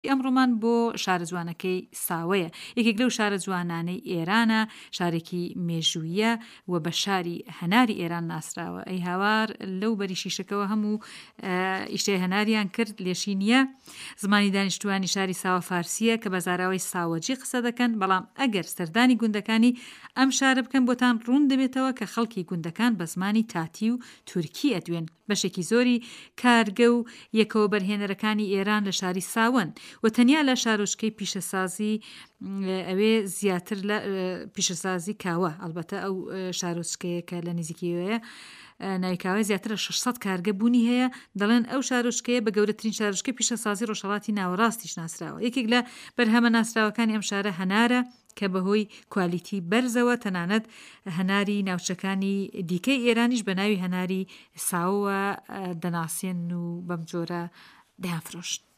ئەمڕۆمان بۆ شارە جوانەکەی ساوەیە، یەکێک لەو شارە جوانانەی ئێرانە، شارێکی مێژوویە و بە شاری هەناری ئێران ناسراوە. ئەی هاوار لەو بەری شیشەکەوە هەموو ئیشتای هەناریان کرد لێشی نییە. زمانی دانیشتووانی شاری ساوە فارسییە کە بە زاراوەی ساوەجی قسە دەکەن، بەڵام ئەگەر سەردانی گوندەکانی ئەم شارە بکەن بۆتان ڕوون دەبێتەوە کە خەڵکی گوندەکان بە زمانی تاتی و تورکی ئەدوێن. بەشێکی زۆری کارگە و یەکە وەبەرهێنەرەکانی ئێران لە شاری ساوەن و تەنیا لە شارۆچکەی پیشەسازی ئەوێ زیاتر لە پیشەسازی کاوە ئەڵبەتە ئەو شارۆچکەیە کە لە نزیکیەوەیە ناوی کاوە زیاتر لە 600 کارگە بوونی هەیە دەڵێن ئەو شارۆچکەیە بە گەورەترین شارۆچکەی پیشەسازی ڕۆژهەڵاتی ناوەڕاستیش ناسراوە یەکێک لە بەرهەمە ناسراوەکانی ئەم شارە هەنارە کە بەهۆی کوالیتی بەرزەوە تەنانەت هەناری ناوچەکانی دیکەی ئێرانیش بە ناوی هەناری ساوەوە دەناسێن و بەم جۆرە دەیانفرۆشن.